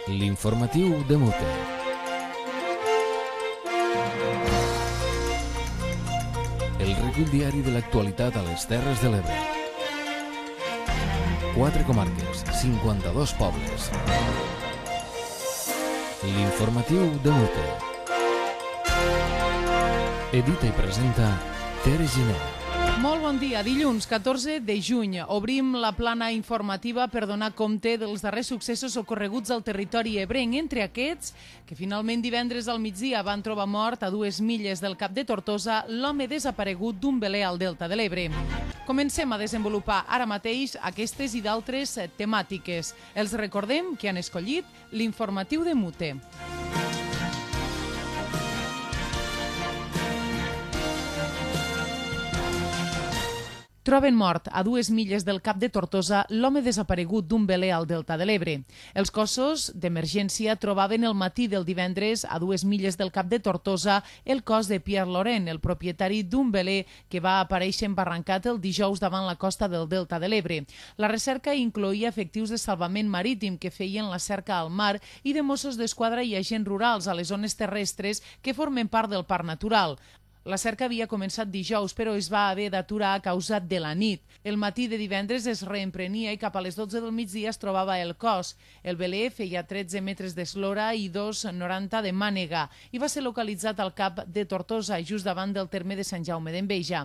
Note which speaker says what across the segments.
Speaker 1: L'informatiu de Mute. El recull diari de l'actualitat a les Terres de l'Ebre. 4 comarques, 52 pobles. L'informatiu de Mute. Edita i presenta Tere Giner.
Speaker 2: Molt bon dia. Dilluns 14 de juny obrim la plana informativa per donar compte dels darrers successos ocorreguts al territori ebrenc. Entre aquests, que finalment divendres al migdia van trobar mort a 2 milles del Cap de Tortosa l'home desaparegut d'un veler al Delta de l'Ebre. Comencem a desenvolupar ara mateix aquestes i d'altres temàtiques. Els recordem que han escollit l'informatiu de Mute. Troben mort a 2 milles del Cap de Tortosa l'home desaparegut d'un veler al Delta de l'Ebre. Els cossos d'emergència trobaven el matí del divendres a 2 milles del Cap de Tortosa el cos de Pierre Laurent, el propietari d'un veler que va aparèixer embarrancat el dijous davant la costa del Delta de l'Ebre. La recerca incloïa efectius de salvament marítim que feien la cerca al mar i de Mossos d'Esquadra i agents rurals a les zones terrestres que formen part del parc natural. La cerca havia començat dijous, però es va haver d'aturar a causa de la nit. El matí de divendres es reemprenia i cap a les 12 del migdia es trobava el cos. El veler feia 13 metres d'eslora i 2,90 de mànega i va ser localitzat al Cap de Tortosa, just davant del terme de Sant Jaume d'Enveja.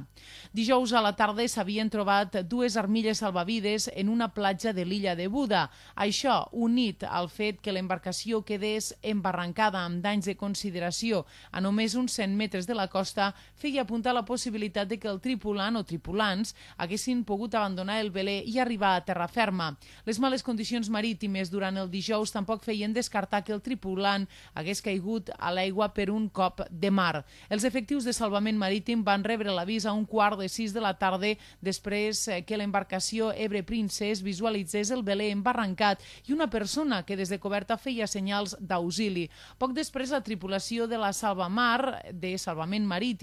Speaker 2: Dijous a la tarda s'havien trobat 2 armilles salvavides en una platja de l'illa de Buda. Això, unit al fet que l'embarcació quedés embarrancada amb danys de consideració a només uns 100 metres de la costa, feia apuntar la possibilitat de que el tripulant o tripulants haguessin pogut abandonar el veler i arribar a terra ferma. Les males condicions marítimes durant el dijous tampoc feien descartar que el tripulant hagués caigut a l'aigua per un cop de mar. Els efectius de salvament marítim van rebre l'avís a 5:45 de la tarda després que l'embarcació Ebre Princess visualitzés el veler embarrancat i una persona que des de coberta feia senyals d'auxili. Poc després, la tripulació de la Salvamar, de salvament marítim,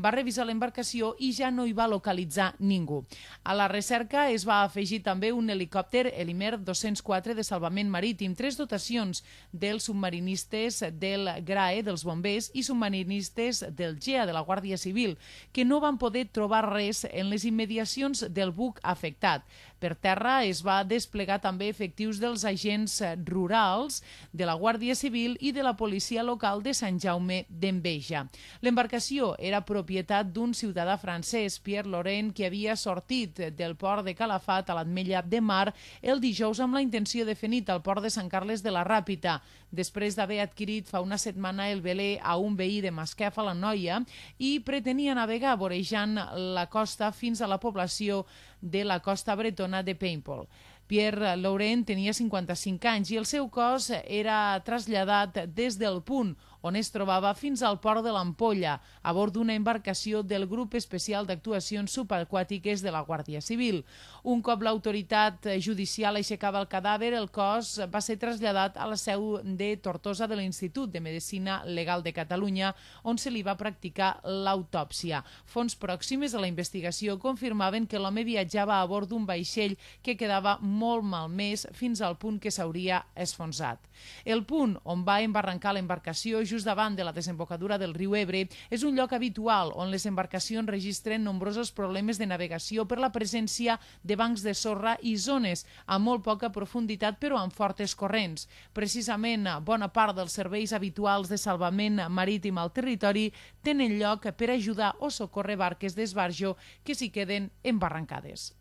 Speaker 2: va revisar l'embarcació i ja no hi va localitzar ningú. A la recerca es va afegir també un helicòpter Helimer 204 de salvament marítim, 3 dotacions dels submarinistes del GRAE, dels bombers, i submarinistes del GEA, de la Guàrdia Civil, que no van poder trobar res en les immediacions del buc afectat. Per terra es va desplegar també efectius dels agents rurals, de la Guàrdia Civil i de la policia local de Sant Jaume d'Enveja. L'embarcació era propietat d'un ciutadà francès, Pierre Laurent, que havia sortit del port de Calafat a l'Ametlla de Mar el dijous amb la intenció de fer nit al port de Sant Carles de la Ràpita, després d'haver adquirit fa una setmana el veler a un veí de Masquefa, la Noia, i pretenia navegar vorejant la costa fins a la població de la costa bretona de Paimpol. Pierre Laurent tenia 55 anys i el seu cos era traslladat des del punt on es trobava fins al port de l'Ampolla, a bord d'una embarcació del Grup Especial d'Actuacions Subaquàtiques de la Guàrdia Civil. Un cop l'autoritat judicial aixecava el cadàver, el cos va ser traslladat a la seu de Tortosa de l'Institut de Medicina Legal de Catalunya, on se li va practicar l'autòpsia. Fonts pròximes a la investigació confirmaven que l'home viatjava a bord d'un vaixell que quedava molt malmès fins al punt que s'hauria esfonsat. El punt on va embarrancar l'embarcació, just davant de la desembocadura del riu Ebre, és un lloc habitual on les embarcacions registren nombrosos problemes de navegació per la presència de bancs de sorra i zones amb molt poca profunditat però amb fortes corrents. Precisament, bona part dels serveis habituals de salvament marítim al territori tenen lloc per ajudar o socórrer barques d'esbarjo que s'hi queden embarrancades.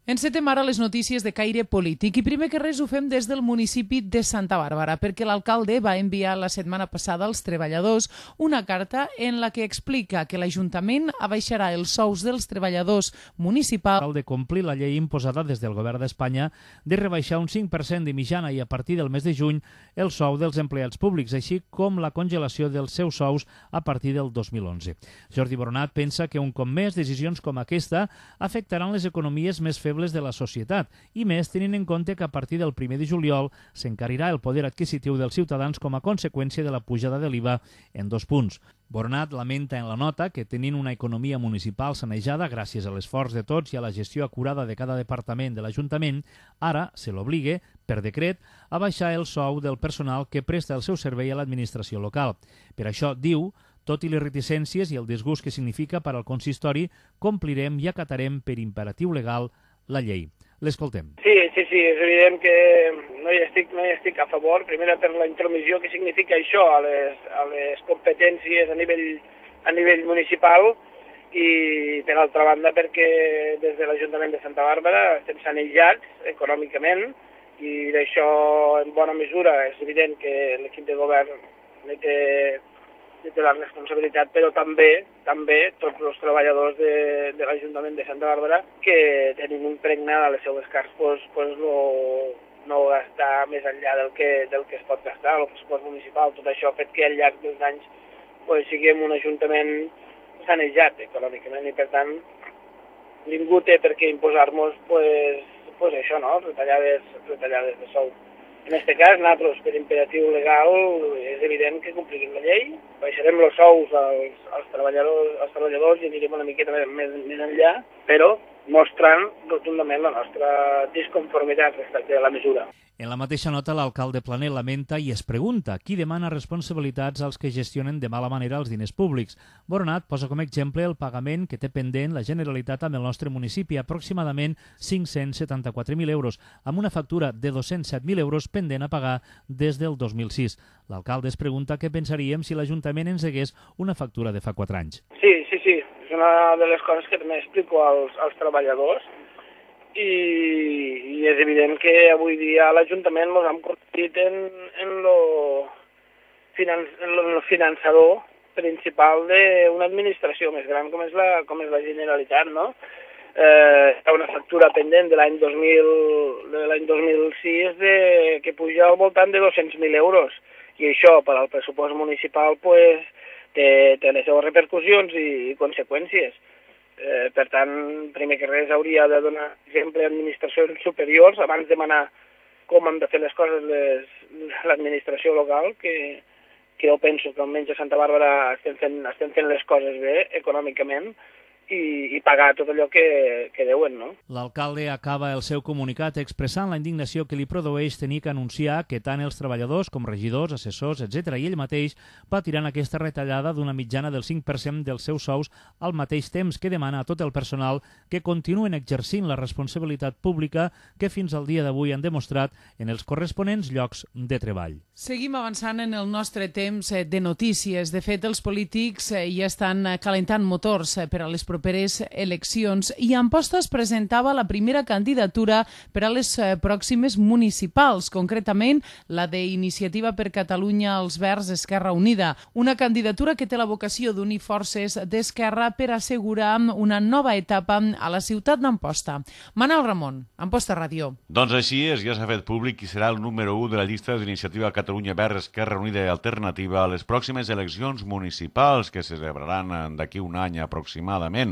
Speaker 2: Encetem ara les notícies de caire polític i primer que res ho fem des del municipi de Santa Bàrbara perquè l'alcalde va enviar la setmana passada als treballadors una carta en la que explica que l'Ajuntament abaixarà els sous dels treballadors municipals.
Speaker 3: Cal de complir la llei imposada des del govern d'Espanya de rebaixar un 5% de mitjana i a partir del mes de juny el sou dels empleats públics, així com la congelació dels seus sous a partir del 2011. Jordi Boronat pensa que un cop més decisions com aquesta afectaran les economies més febles febles de la societat, i més tenint en compte que a partir del 1 de juliol s'encarirà el poder adquisitiu dels ciutadans com a conseqüència de la pujada de l'IVA en 2 punts. Bornat lamenta en la nota que tenint una economia municipal sanejada gràcies a l'esforç de tots i a la gestió acurada de cada departament de l'Ajuntament, ara se l'obligue, per decret, a baixar el sou del personal que presta el seu servei a l'administració local. Per això, diu, tot i les reticències i el disgust que significa per al consistori, complirem i acatarem per imperatiu legal la llei. L'escoltem.
Speaker 4: Sí, és evident que no hi estic a favor, primer per la intromissió que significa això a les competències a nivell municipal i per altra banda perquè des de l'Ajuntament de Santa Bàrbara estem sanejats econòmicament i d'això en bona mesura és evident que l'equip de govern té la responsabilitat, però també tots els treballadors de l'Ajuntament de Santa Bàrbara que tenim impregnat a les seues carts no gastar més enllà del que es pot gastar, el pressupost municipal, tot això ha fet que al llarg dels anys siguem un ajuntament sanejat econòmicament i per tant ningú té per què imposar-nos això, no? retallades de sou. En aquest cas, nosaltres, per imperatiu legal, és evident que complirem la llei, baixarem els sous als treballadors i anirem una miqueta més enllà, però mostrant rotundament la nostra disconformitat respecte a la mesura.
Speaker 3: En la mateixa nota, l'alcalde Planell lamenta i es pregunta qui demana responsabilitats als que gestionen de mala manera els diners públics. Boronat posa com a exemple el pagament que té pendent la Generalitat amb el nostre municipi, aproximadament 574.000 euros, amb una factura de 207.000 euros pendent a pagar des del 2006. L'alcalde es pregunta què pensaríem si l'Ajuntament ens hagués una factura de fa 4 anys.
Speaker 4: Sí, és una de les coses que també explico als treballadors, i és evident que avui dia a l'Ajuntament ens hem convertit en el finançador principal d'una administració més gran com és la Generalitat, no? Hi ha una factura pendent de l'any 2006 que puja al voltant de 200.000 euros i això per al pressupost municipal té les seves repercussions i conseqüències. Per tant, primer que res hauria de donar exemple a administracions superiors abans de demanar com han de fer les coses l'administració local, que jo penso que almenys a Santa Bàrbara estem fent les coses bé econòmicament i pagar tot allò que deuen, no?
Speaker 3: L'alcalde acaba el seu comunicat expressant la indignació que li produeix tenir que anunciar que tant els treballadors com regidors, assessors, etc. i ell mateix patiran aquesta retallada d'una mitjana del 5% dels seus sous al mateix temps que demana a tot el personal que continuen exercint la responsabilitat pública que fins al dia d'avui han demostrat en els corresponents llocs de treball.
Speaker 2: Seguim avançant en el nostre temps de notícies. De fet, els polítics ja estan calentant motors per a les properes eleccions i Amposta es presentava la primera candidatura per a les pròximes municipals, concretament la d'Iniciativa per Catalunya als Verds Esquerra Unida, una candidatura que té la vocació d'unir forces d'Esquerra per assegurar una nova etapa a la ciutat d'Amposta. Manel Ramon, Amposta Ràdio.
Speaker 5: Doncs així és, ja s'ha fet públic qui serà el número 1 de la llista d'Iniciativa Catalunya Verds Esquerra Unida i Alternativa a les pròximes eleccions municipals que se celebraran d'aquí un any aproximadament.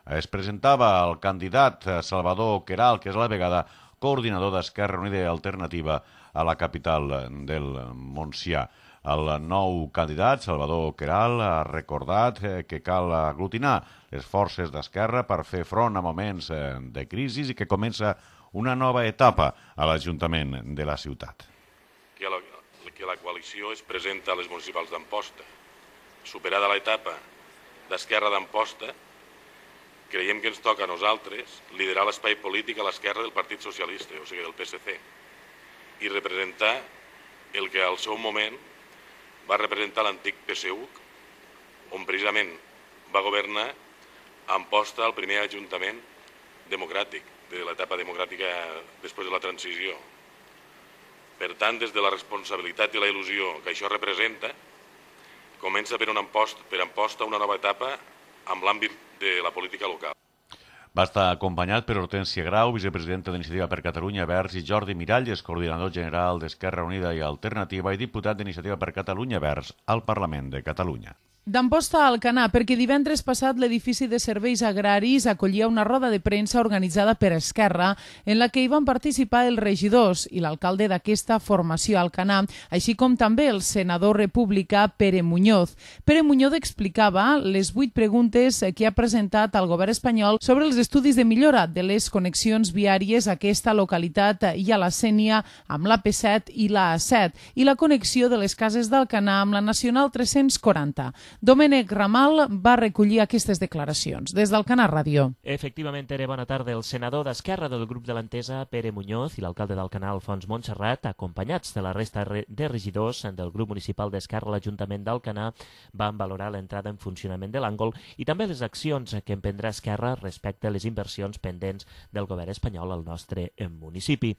Speaker 5: Es presentava el candidat Salvador Queralt, que és a la vegada coordinador d'Esquerra Unida i Alternativa a la capital del Montsià. El nou candidat, Salvador Queralt, ha recordat que cal aglutinar les forces d'Esquerra per fer front a moments de crisi i que comença una nova etapa a l'Ajuntament de la ciutat.
Speaker 6: Que la coalició es presenta a les municipals d'Amposta. Superada l'etapa d'Esquerra d'Amposta, creiem que ens toca a nosaltres liderar l'espai polític a l'esquerra del Partit Socialista, o sigui, del PSC, i representar el que al seu moment va representar l'antic PSUC, on precisament va governar Amposta el primer ajuntament democràtic, de l'etapa democràtica després de la transició. Per tant, des de la responsabilitat i la il·lusió que això representa, comença per Amposta una nova etapa amb l'àmbit de la política local.
Speaker 5: Va estar acompanyat per Hortènsia Grau, vicepresidenta d'Iniciativa per Catalunya Verds, i Jordi Miralles, coordinador general d'Esquerra Unida i Alternativa i diputat d'Iniciativa per Catalunya Verds al Parlament de Catalunya.
Speaker 2: D'Amposta a Alcanar, perquè divendres passat l'edifici de serveis agraris acollia una roda de premsa organitzada per Esquerra en la que hi van participar els regidors i l'alcalde d'aquesta formació a Alcanar, així com també el senador republicà Pere Muñoz. Pere Muñoz explicava les 8 preguntes que ha presentat al govern espanyol sobre els estudis de millora de les connexions viàries a aquesta localitat i a la Sénia amb l'AP7 i la A7 i la connexió de les cases d'Alcanar amb la Nacional 340. Domènec Ramal va recollir aquestes declaracions. Des d'Alcanar Ràdio.
Speaker 7: Efectivament, Tere, bona tarda. El senador d'Esquerra del grup de l'Entesa, Pere Muñoz, i l'alcalde d'Alcanar, Alfons Montserrat, acompanyats de la resta de regidors del grup municipal d'Esquerra a l'Ajuntament d'Alcanar, van valorar l'entrada en funcionament de l'Àngol i també les accions que emprendrà Esquerra respecte a les inversions pendents del govern espanyol al nostre municipi.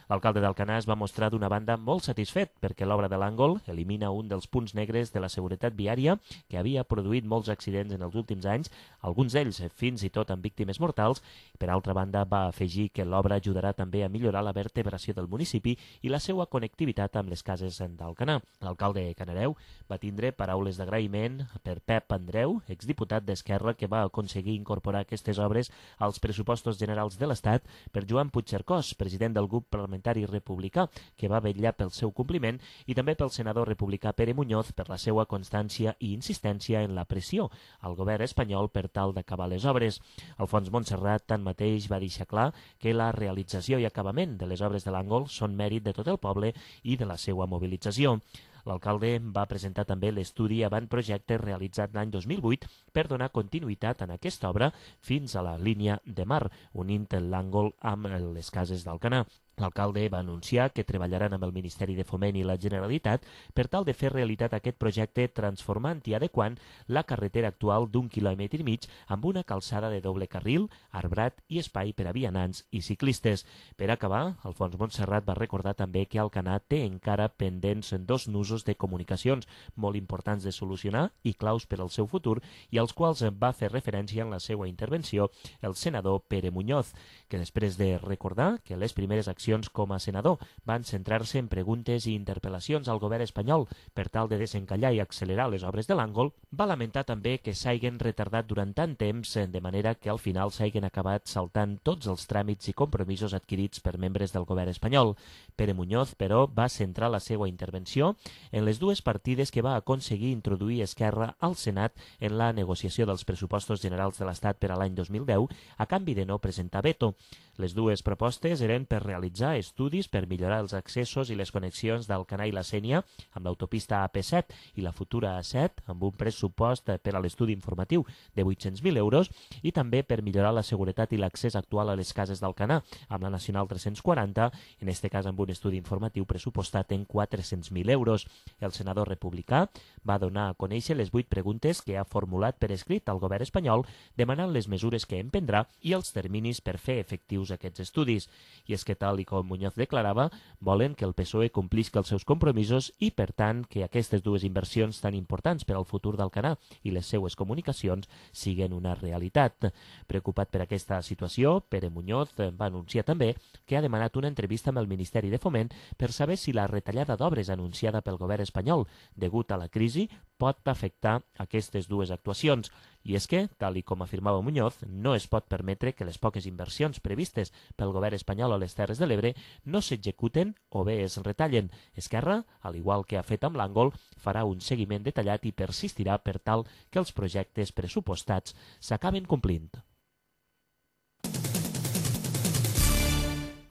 Speaker 7: L'alcalde d'Alcanar es va mostrar d'una banda molt satisfet perquè l'obra de l'Àngol elimina un dels punts negres de la seguretat viària que havia produït molts accidents en els últims anys, alguns d'ells fins i tot amb víctimes mortals. Per altra banda, va afegir que l'obra ajudarà també a millorar la vertebració del municipi i la seva connectivitat amb les cases d'Alcanar. L'alcalde Canareu va tindre paraules d'agraïment per Pep Andreu, exdiputat d'Esquerra, que va aconseguir incorporar aquestes obres als pressupostos generals de l'Estat, per Joan Puigcercós, president del grup parlamentari republicà, que va vetllar pel seu compliment, i també pel senador republicà Pere Muñoz per la seva constància i insistència en la pressió al govern espanyol per tal d'acabar les obres. Alfons Montserrat, tanmateix, va deixar clar que la realització i acabament de les obres de l'Àngol són mèrit de tot el poble i de la seva mobilització. L'alcalde va presentar també l'estudi avantprojecte realitzat l'any 2008 per donar continuïtat en aquesta obra fins a la línia de mar, unint l'Àngol amb les cases d'Alcanar. L'alcalde va anunciar que treballaran amb el Ministeri de Foment i la Generalitat per tal de fer realitat aquest projecte transformant i adequant la carretera actual d'1,5 quilòmetres amb una calçada de doble carril, arbrat i espai per a vianants i ciclistes. Per acabar, Alfons Montserrat va recordar també que Alcanar té encara pendents 2 nusos de comunicacions molt importants de solucionar i claus per al seu futur i als quals va fer referència en la seva intervenció el senador Pere Muñoz, que després de recordar que les primeres accions com a senador van centrar-se en preguntes i interpel·lacions al govern espanyol per tal de desencallar i accelerar les obres de l'Àngol, va lamentar també que s'hagin retardat durant tant temps, de manera que al final s'hagin acabat saltant tots els tràmits i compromisos adquirits per membres del govern espanyol. Pere Muñoz, però, va centrar la seva intervenció en les 2 partides que va aconseguir introduir Esquerra al Senat en la negociació dels pressupostos generals de l'Estat per a l'any 2010, a canvi de no presentar veto. Les 2 propostes eren per realitzar estudis per millorar els accessos i les connexions d'Alcanar i la Sénia amb l'autopista AP7 i la futura A7 amb un pressupost per a l'estudi informatiu de 800.000 euros i també per millorar la seguretat i l'accés actual a les cases d'Alcanar amb la Nacional 340, en aquest cas amb un estudi informatiu pressupostat en 400.000 euros. El senador republicà va donar a conèixer les 8 preguntes que ha formulat per escrit al govern espanyol demanant les mesures que emprendrà i els terminis per fer efectius aquests estudis. I és que, tal i com Muñoz declarava, volen que el PSOE complisca els seus compromisos i, per tant, que aquestes 2 inversions tan importants per al futur d'Alcanar i les seues comunicacions siguen una realitat. Preocupat per aquesta situació, Pere Muñoz va anunciar també que ha demanat una entrevista amb el Ministeri de Foment per saber si la retallada d'obres anunciada pel govern espanyol degut a la crisi pot afectar aquestes 2 actuacions. I és que, tal i com afirmava Muñoz, no es pot permetre que les poques inversions previstes pel govern espanyol a les Terres de l'Ebre no s'executen o bé es retallen. Esquerra, al igual que ha fet amb l'Àngol, farà un seguiment detallat i persistirà per tal que els projectes pressupostats s'acaben complint.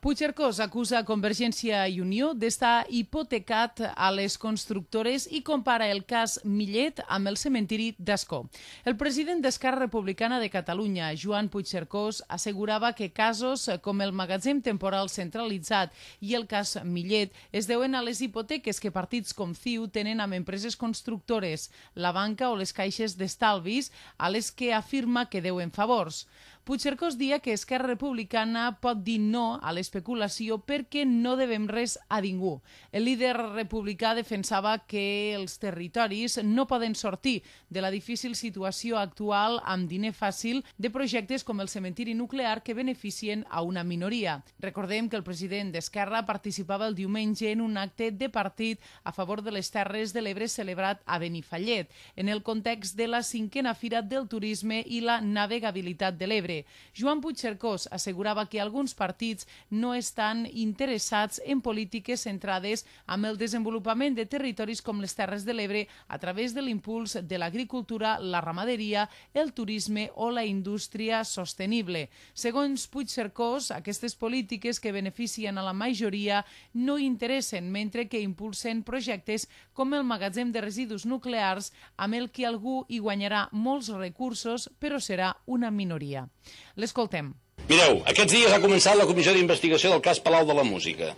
Speaker 2: Puigcercós acusa Convergència i Unió d'estar hipotecat a les constructores i compara el cas Millet amb el cementiri d'Ascó. El president d'Esquerra Republicana de Catalunya, Joan Puigcercós, assegurava que casos com el magatzem temporal centralitzat i el cas Millet es deuen a les hipoteques que partits com CiU tenen amb empreses constructores, la banca o les caixes d'estalvis, a les que afirma que deuen favors. Puigcercós dia que Esquerra Republicana pot dir no a les l'especulació perquè no devem res a ningú. El líder republicà defensava que els territoris no poden sortir de la difícil situació actual amb diner fàcil de projectes com el cementiri nuclear que beneficien a una minoria. Recordem que el president d'Esquerra participava el diumenge en un acte de partit a favor de les Terres de l'Ebre celebrat a Benifallet, en el context de la 5a Fira del Turisme i la Navegabilitat de l'Ebre. Joan Puigcercós assegurava que alguns partits no estan interessats en polítiques centrades en el desenvolupament de territoris com les Terres de l'Ebre a través de l'impuls de l'agricultura, la ramaderia, el turisme o la indústria sostenible. Segons Puigcercós, aquestes polítiques que beneficien a la majoria no interessen, mentre que impulsen projectes com el magatzem de residus nuclears amb el que algú hi guanyarà molts recursos, però serà una minoria. L'escoltem.
Speaker 8: Mireu, aquests dies ha començat la comissió d'investigació del cas Palau de la Música.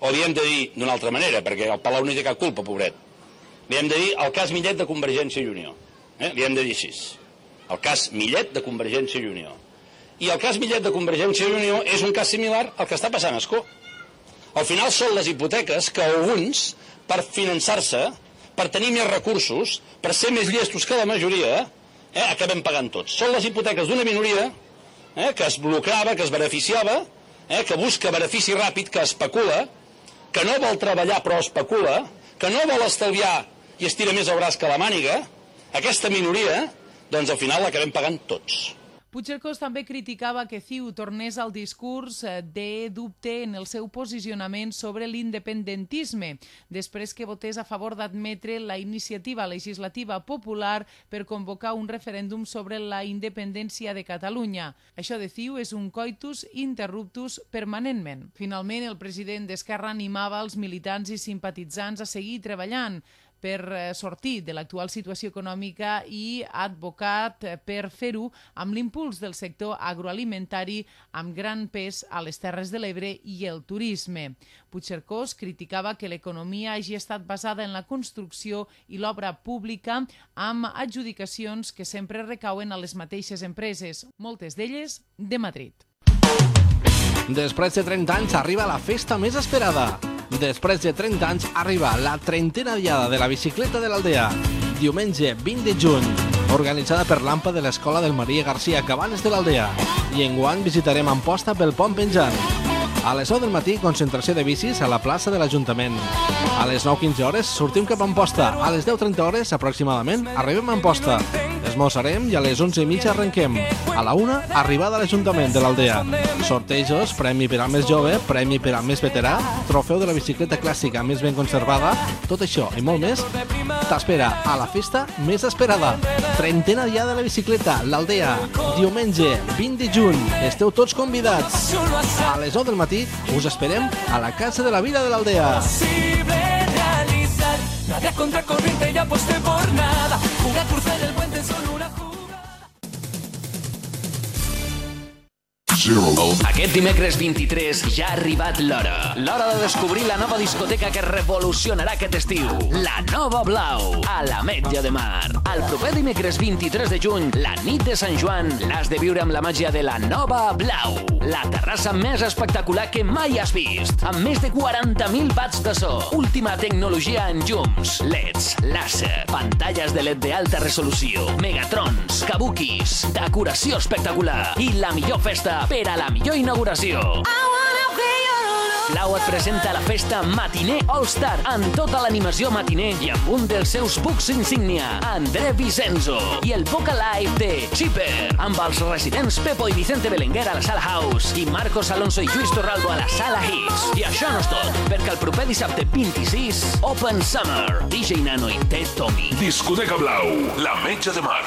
Speaker 8: O li hem de dir d'una altra manera, perquè el Palau no hi té cap culpa, pobret. Li hem de dir el cas Millet de Convergència i Unió. Li hem de dir així. El cas Millet de Convergència i Unió. I el cas Millet de Convergència i Unió és un cas similar al que està passant a Ascó. Al final són les hipoteques que alguns, per finançar-se, per tenir més recursos, per ser més llestos que la majoria, acabem pagant tots. Són les hipoteques d'una minoria que es lucrava, que es beneficiava, que busca benefici ràpid, que especula, que no vol treballar però especula, que no vol estalviar i estira més el braç que la màniga. Aquesta minoria, doncs al final l'acabem pagant tots.
Speaker 2: Puigcercós també criticava que CiU tornés al discurs de dubte en el seu posicionament sobre l'independentisme, després que votés a favor d'admetre la iniciativa legislativa popular per convocar un referèndum sobre la independència de Catalunya. Això de CiU és un coitus interruptus permanentment. Finalment, el president d'Esquerra animava els militants i simpatitzants a seguir treballant per sortir de l'actual situació econòmica i ha advocat per fer-ho amb l'impuls del sector agroalimentari amb gran pes a les Terres de l'Ebre i el turisme. Puigcercós criticava que l'economia hagi estat basada en la construcció i l'obra pública amb adjudicacions que sempre recauen a les mateixes empreses, moltes d'elles de Madrid.
Speaker 9: Després de 30 anys arriba la festa més esperada. Després de 30 anys arriba la 30a diada de la bicicleta de l'Aldea. Diumenge 20 de juny, organitzada per l'AMPA de l'Escola del Maria Garcia Cabanes de l'Aldea. I enguany visitarem Amposta pel Pont Penjant. A les 9 del matí, concentració de bicis a la plaça de l'Ajuntament. A les 9:15 hores sortim cap a Amposta. A les 10:30 hores, aproximadament, arribem a Amposta. Esmorzarem i a les 11:30 arrenquem. A la 1, arribada a l'Ajuntament de l'Aldea. Sortejos, premi per al més jove, premi per al més veterà, trofeu de la bicicleta clàssica més ben conservada, tot això i molt més t'espera a la festa més esperada. 30a diada de la bicicleta, l'Aldea, diumenge 20 de juny. Esteu tots convidats. A les 9 del matí us esperem a la Casa de la Vida de l'Aldea. Nada contra corriente y aposté por nada. Jugar cruzar el puente solo una jugada.
Speaker 10: Aquest dimecres 23 ja ha arribat l'hora. L'hora de descobrir la nova discoteca que revolucionarà aquest estiu. La Nova Blau, a l'Ametlla de Mar. El proper dimecres 23 de juny, la nit de Sant Joan, l'has de viure amb la màgia de la Nova Blau. La terrassa més espectacular que mai has vist. Amb més de 40.000 watts de so. Última tecnologia en llums, LEDs, làser, pantalles de LED d'alta resolució, megatrons, kabukis, decoració espectacular i la millor festa per a la millor inauguració. Blau et presenta la festa Matiner All Star amb tota l'animació matiner i amb un dels seus bucs insígnia, André Vicenzo, i el Vocal Live de Chipper, amb els residents Pepo i Vicente Belenguer a la Sala House i Marcos Alonso i Lluís Torralbo a la Sala Hits. I això no és tot, perquè el proper dissabte 26, Open Summer, DJ Nano i Ted Tommy.
Speaker 11: Discoteca Blau, l'Ametlla de Mar.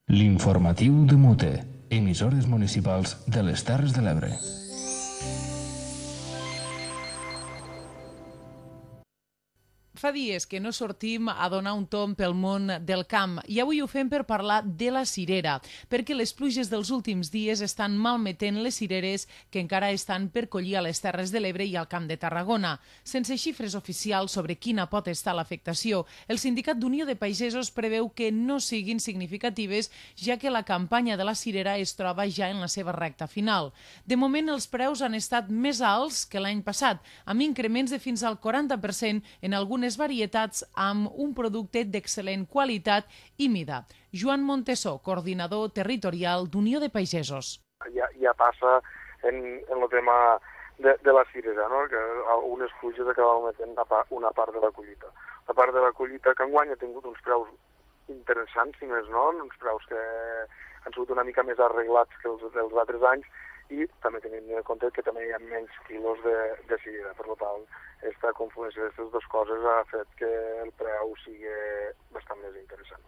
Speaker 1: L'informatiu de Mute, emissores municipals de les Terres de l'Ebre.
Speaker 2: Fa dies que no sortim a donar un tomb pel món del camp i avui ho fem per parlar de la cirera, perquè les pluges dels últims dies estan malmetent les cireres que encara estan per collir a les Terres de l'Ebre i al Camp de Tarragona. Sense xifres oficials sobre quina pot estar l'afectació, el Sindicat d'Unió de Pagesos preveu que no siguin significatives, ja que la campanya de la cirera es troba ja en la seva recta final. De moment, els preus han estat més alts que l'any passat, amb increments de fins al 40% en algunes varietats amb un producte d'excel·lent qualitat i mida. Joan Montesó, coordinador territorial d'Unió de Pagesos.
Speaker 12: Ja passa en el tema de la cirera, no? Que algunes pluges acaben metent una part de la collita. La part de la collita que enguany ha tingut uns preus interessants, si més no, uns preus que han sigut una mica més arreglats que els altres anys, i també tenint en compte que també hi ha menys quilos de cirera. Per tant, aquesta confluència d'aquestes dues coses ha fet que el preu sigui bastant més interessant.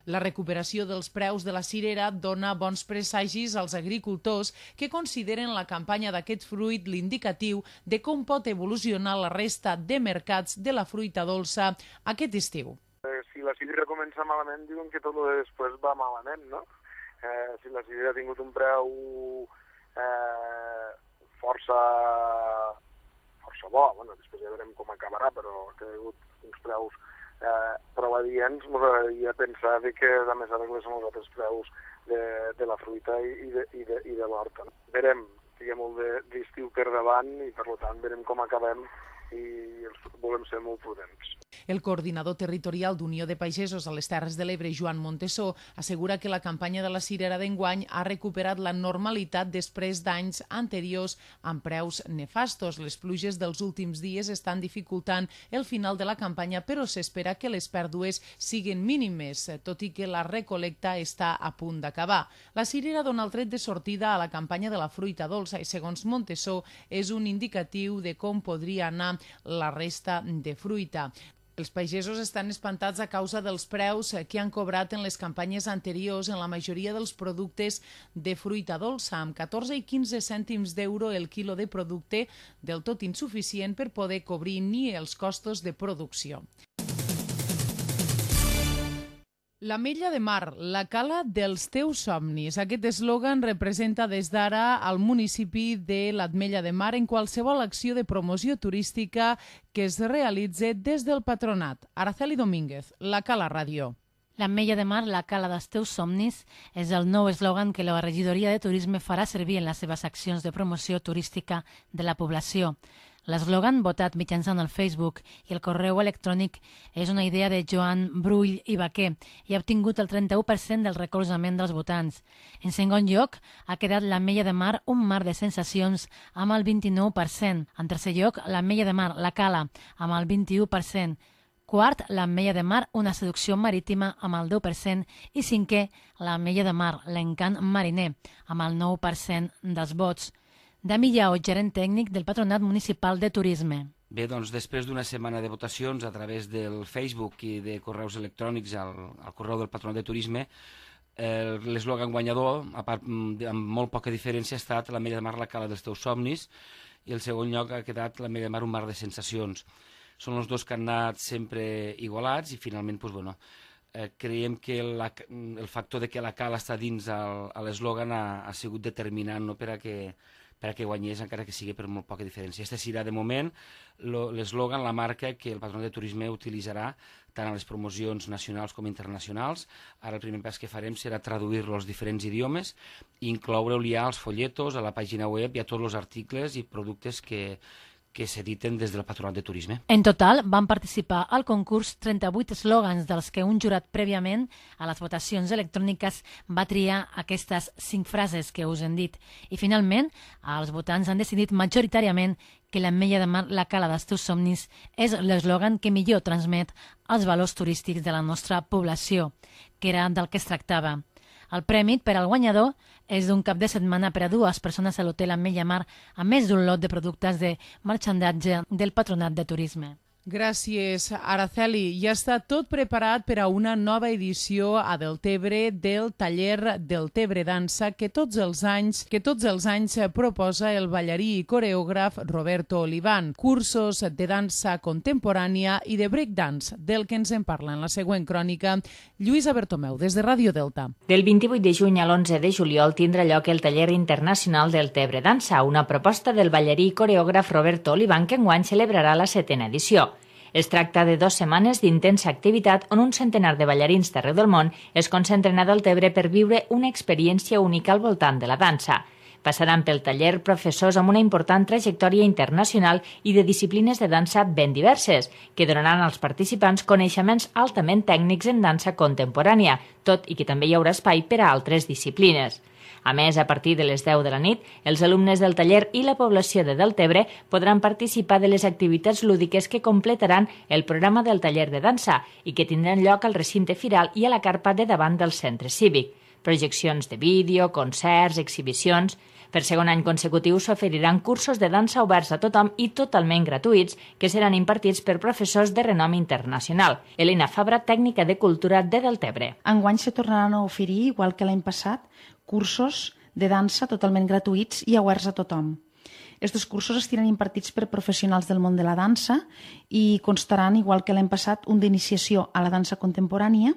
Speaker 2: La recuperació dels preus de la cirera dona bons presagis als agricultors que consideren la campanya d'aquest fruit l'indicatiu de com pot evolucionar la resta de mercats de la fruita dolça aquest estiu.
Speaker 12: Si la cirera comença malament, diuen que tot el després va malament, no? Si la cirera ha tingut un preu força bo, bueno, després ja veurem com acabarà, però que ha hagut uns preus prou adients, m'agradaria pensar que a més arregles són els altres preus de la fruita i de l'horta. Verem, hi ha molt d'estiu per davant i per tant verem com acabem i volem ser molt prudents.
Speaker 2: El coordinador territorial d'Unió de Pagesos a les Terres de l'Ebre, Joan Montesó, assegura que la campanya de la cirera d'enguany ha recuperat la normalitat després d'anys anteriors amb preus nefastos. Les pluges dels últims dies estan dificultant el final de la campanya, però s'espera que les pèrdues siguin mínimes, tot i que la recolecta està a punt d'acabar. La cirera dona el tret de sortida a la campanya de la fruita dolça i, segons Montesó, és un indicatiu de com podria anar la resta de fruita. Els pagesos estan espantats a causa dels preus que han cobrat en les campanyes anteriors en la majoria dels productes de fruita dolça, amb 14 i 15 cèntims d'euro el quilo de producte, del tot insuficient per poder cobrir ni els costos de producció. L'Ametlla de Mar, la cala dels teus somnis. Aquest eslògan representa des d'ara al municipi de l'Ametlla de Mar en qualsevol acció de promoció turística que es realitzi des del patronat. Araceli Domínguez, la Cala Ràdio.
Speaker 13: L'Ametlla de Mar, la cala dels teus somnis, és el nou eslògan que la regidoria de turisme farà servir en les seves accions de promoció turística de la població. L'eslògan, votat mitjançant el Facebook i el correu electrònic, és una idea de Joan Brull i Baquer i ha obtingut el 31% del recolzament dels votants. En segon lloc, ha quedat l'Ametlla de Mar, un mar de sensacions, amb el 29%. En tercer lloc, l'Ametlla de Mar, la cala, amb el 21%. Quart, l'Ametlla de Mar, una seducció marítima, amb el 10%. I cinquè, l'Ametlla de Mar, l'encant mariner, amb el 9% dels vots. Dami Llao, gerent tècnic del Patronat Municipal de Turisme.
Speaker 14: Bé, doncs després d'una setmana de votacions a través del Facebook i de correus electrònics al correu del Patronat de Turisme, l'eslògan guanyador, a part amb molt poca diferència, ha estat l'Ametlla de Mar, la cala dels teus somnis, i el segon lloc ha quedat l'Ametlla de Mar, un mar de sensacions. Són els dos que han anat sempre igualats i finalment, doncs, bueno, creiem que el factor de que la cala està dins l'eslògan ha sigut determinant, no, per a que guanyés, encara que sigui per molt poca diferència. Este serà, de moment, l'eslògan, la marca que el Patronat de Turisme utilitzarà tant a les promocions nacionals com internacionals. Ara el primer pas que farem serà traduir-lo als diferents idiomes i incloure-ho ja als folletos, a la pàgina web i a tots els articles i productes que s'editen des del Patronat de Turisme.
Speaker 13: En total, van participar al concurs 38 eslògans, dels que un jurat prèviament a les votacions electròniques va triar aquestes 5 frases que us hem dit. I finalment, els votants han decidit majoritàriament que l'Ametlla de Mar, la cala dels teus somnis, és l'eslògan que millor transmet els valors turístics de la nostra població, que era del que es tractava. El premi per al guanyador és d'un cap de setmana per a 2 persones a l'hotel Ametlla Mar, a més d'un lot de productes de marxandatge del Patronat de Turisme.
Speaker 2: Gràcies, Araceli. Ja està tot preparat per a una nova edició a Deltebre del taller Deltebre Dansa que tots els anys proposa el ballarí i coreògraf Roberto Olivan. Cursos de dansa contemporània i de breakdance, del que ens en parla en la següent crònica Lluïsa Bertomeu, des de Ràdio Delta.
Speaker 15: Del 28 de juny a l'11 de juliol tindrà lloc el taller internacional Deltebre Dansa, una proposta del ballarí i coreògraf Roberto Olivan que enguany celebrarà la 7ª edició. Es tracta de 2 setmanes d'intensa activitat on un centenar de ballarins d'arreu del món es concentren a Deltebre per viure una experiència única al voltant de la dansa. Passaran pel taller professors amb una important trajectòria internacional i de disciplines de dansa ben diverses, que donaran als participants coneixements altament tècnics en dansa contemporània, tot i que també hi haurà espai per a altres disciplines. A més, a partir de les 10 de la nit, els alumnes del taller i la població de Deltebre podran participar de les activitats lúdiques que completaran el programa del taller de dansa i que tindran lloc al recinte firal i a la carpa de davant del centre cívic. Projeccions de vídeo, concerts, exhibicions... Per segon any consecutiu s'oferiran cursos de dansa oberts a tothom i totalment gratuïts que seran impartits per professors de renom internacional. Elena Fabra, tècnica de cultura de Deltebre.
Speaker 16: Enguany se tornaran a oferir, igual que l'any passat, cursos de dansa totalment gratuïts i oberts a tothom. Estos cursos estiran impartits per professionals del món de la dansa i constaran, igual que l'any passat, un d'iniciació a la dansa contemporània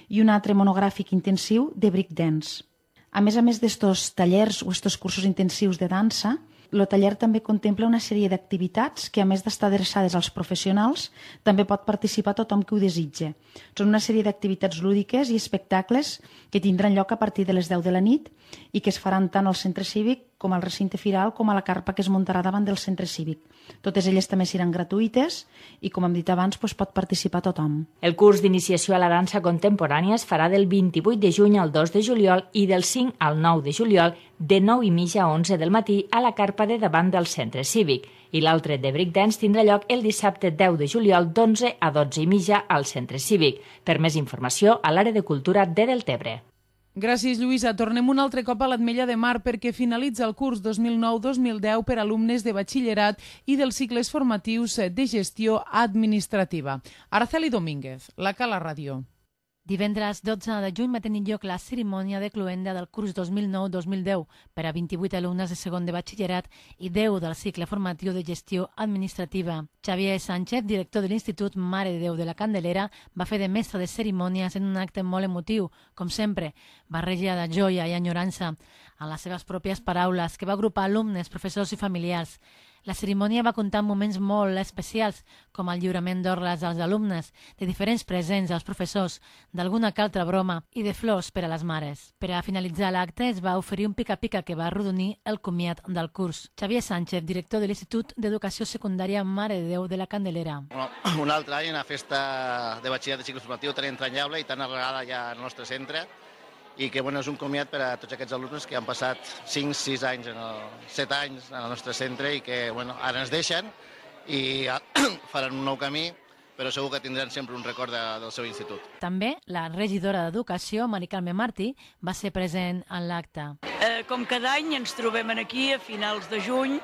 Speaker 16: i un altre monogràfic intensiu de breakdance. A més d'estos tallers o estos cursos intensius de dansa, el taller també contempla una sèrie d'activitats que, a més d'estar adreçades als professionals, també pot participar tothom que ho desitge. Són una sèrie d'activitats lúdiques i espectacles que tindran lloc a partir de les 10 de la nit i que es faran tant al centre cívic com al recinte firal com a la carpa que es muntarà davant del centre cívic. Totes elles també seran gratuïtes i, com hem dit abans, pot participar tothom.
Speaker 15: El curs d'iniciació a la dansa contemporània es farà del 28 de juny al 2 de juliol i del 5 al 9 de juliol de 9:30 a 11 del matí a la carpa de davant del centre cívic. I l'altre de breakdance tindrà lloc el dissabte 10 de juliol d'11 a 12:30 al centre cívic. Per més informació, a l'àrea de cultura de Deltebre.
Speaker 2: Gràcies, Lluïsa. Tornem un altre cop a l'Ametlla de Mar perquè finalitza el curs 2009-2010 per a alumnes de batxillerat i dels cicles formatius de gestió administrativa. Araceli Domínguez, la Cala Ràdio.
Speaker 13: Divendres 12 de juny va tenir lloc la cerimònia de cloenda del curs 2009-2010 per a 28 alumnes de segon de batxillerat i 10 del cicle formatiu de gestió administrativa. Xavier Sánchez, director de l'Institut Mare de Déu de la Candelera, va fer de mestre de cerimònies en un acte molt emotiu, com sempre, barreja de joia i enyorança, en les seves pròpies paraules, que va agrupar alumnes, professors i familiars. La cerimònia va comptar amb moments molt especials, com el lliurament d'orles als alumnes, de diferents presents als professors, d'alguna que altra broma i de flors per a les mares. Per a finalitzar l'acte es va oferir un pica-pica que va arrodonir el comiat del curs. Xavier Sánchez, director de l'Institut d'Educació Secundària Mare de Déu de la Candelera.
Speaker 17: Un altre any, una festa de batxillerat de cicle formatiu tan entranyable i tan arrelada ja al nostre centre, i que és un comiat per a tots aquests alumnes que han passat 5, 6 anys, 7 anys en el nostre centre i que ara ens deixen i faran un nou camí, però segur que tindran sempre un record del seu institut.
Speaker 13: També la regidora d'Educació, Mari Carme Martí, va ser present en l'acte.
Speaker 18: Com cada any ens trobem aquí a finals de juny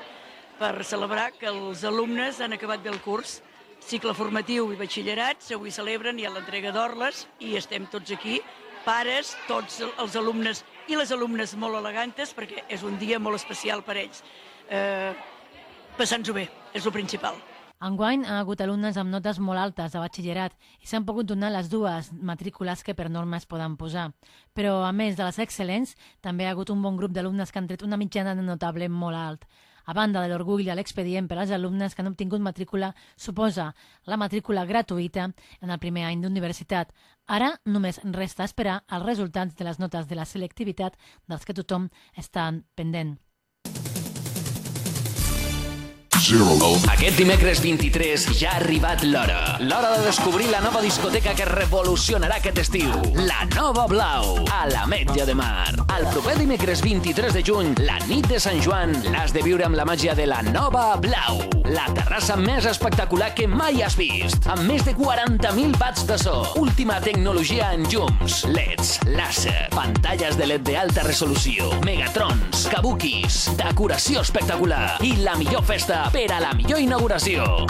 Speaker 18: per celebrar que els alumnes han acabat bé el curs. Cicle formatiu i batxillerats, avui celebren ja l'entrega d'orles i estem tots aquí, pares, tots els alumnes i les alumnes molt elegantes, perquè és un dia molt especial per ells. Passant-ho bé, és el principal.
Speaker 13: Enguany ha hagut alumnes amb notes molt altes a batxillerat i s'han pogut donar les 2 matrícules que per norma es poden posar. Però, a més de les excel·lents, també ha hagut un bon grup d'alumnes que han tret una mitjana de notable molt alt. A banda de l'orgull i l'expedient per als alumnes que han obtingut matrícula, suposa la matrícula gratuïta en el primer any d'universitat. Ara només resta esperar els resultats de les notes de la selectivitat dels que tothom està pendent.
Speaker 10: Aquest dimecres 23 ja ha arribat l'hora. L'hora de descobrir la nova discoteca que revolucionarà aquest estiu. La Nova Blau, a l'Ametlla de Mar. El proper dimecres 23 de juny, la nit de Sant Joan, l'has de viure amb la màgia de la Nova Blau. La terrassa més espectacular que mai has vist. Amb més de 40.000 watts de so. Última tecnologia en llums, LEDs, làser, pantalles de LED d'alta resolució, megatrons, kabukis, decoració espectacular i la millor festa per a la millor inauguració.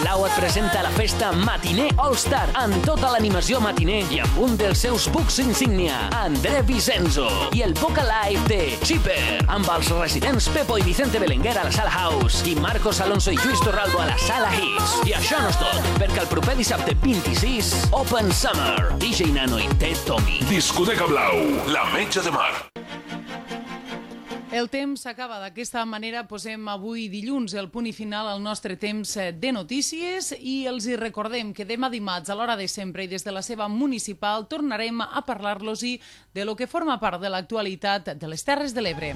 Speaker 10: Blau et presenta la festa Matiner All-Star amb tota l'animació matiner i amb un dels seus bucs insignia, André Vicenzo, i el Boca Live de Chipper, amb els residents Pepo i Vicente Belenguer a la Sala House i Marcos Alonso i Lluís Torralbo a la Sala Hits. I això no és tot, perquè el proper dissabte 26, Open Summer, DJ Nano i Ted Tommy.
Speaker 11: Discoteca Blau, la Metge de Mar.
Speaker 2: El temps s'acaba. D'aquesta manera posem avui dilluns el punt i final al nostre temps de notícies i els hi recordem que demà dimarts a l'hora de sempre i des de la seva municipal tornarem a parlar-los-hi de lo que forma part de l'actualitat de les Terres de l'Ebre.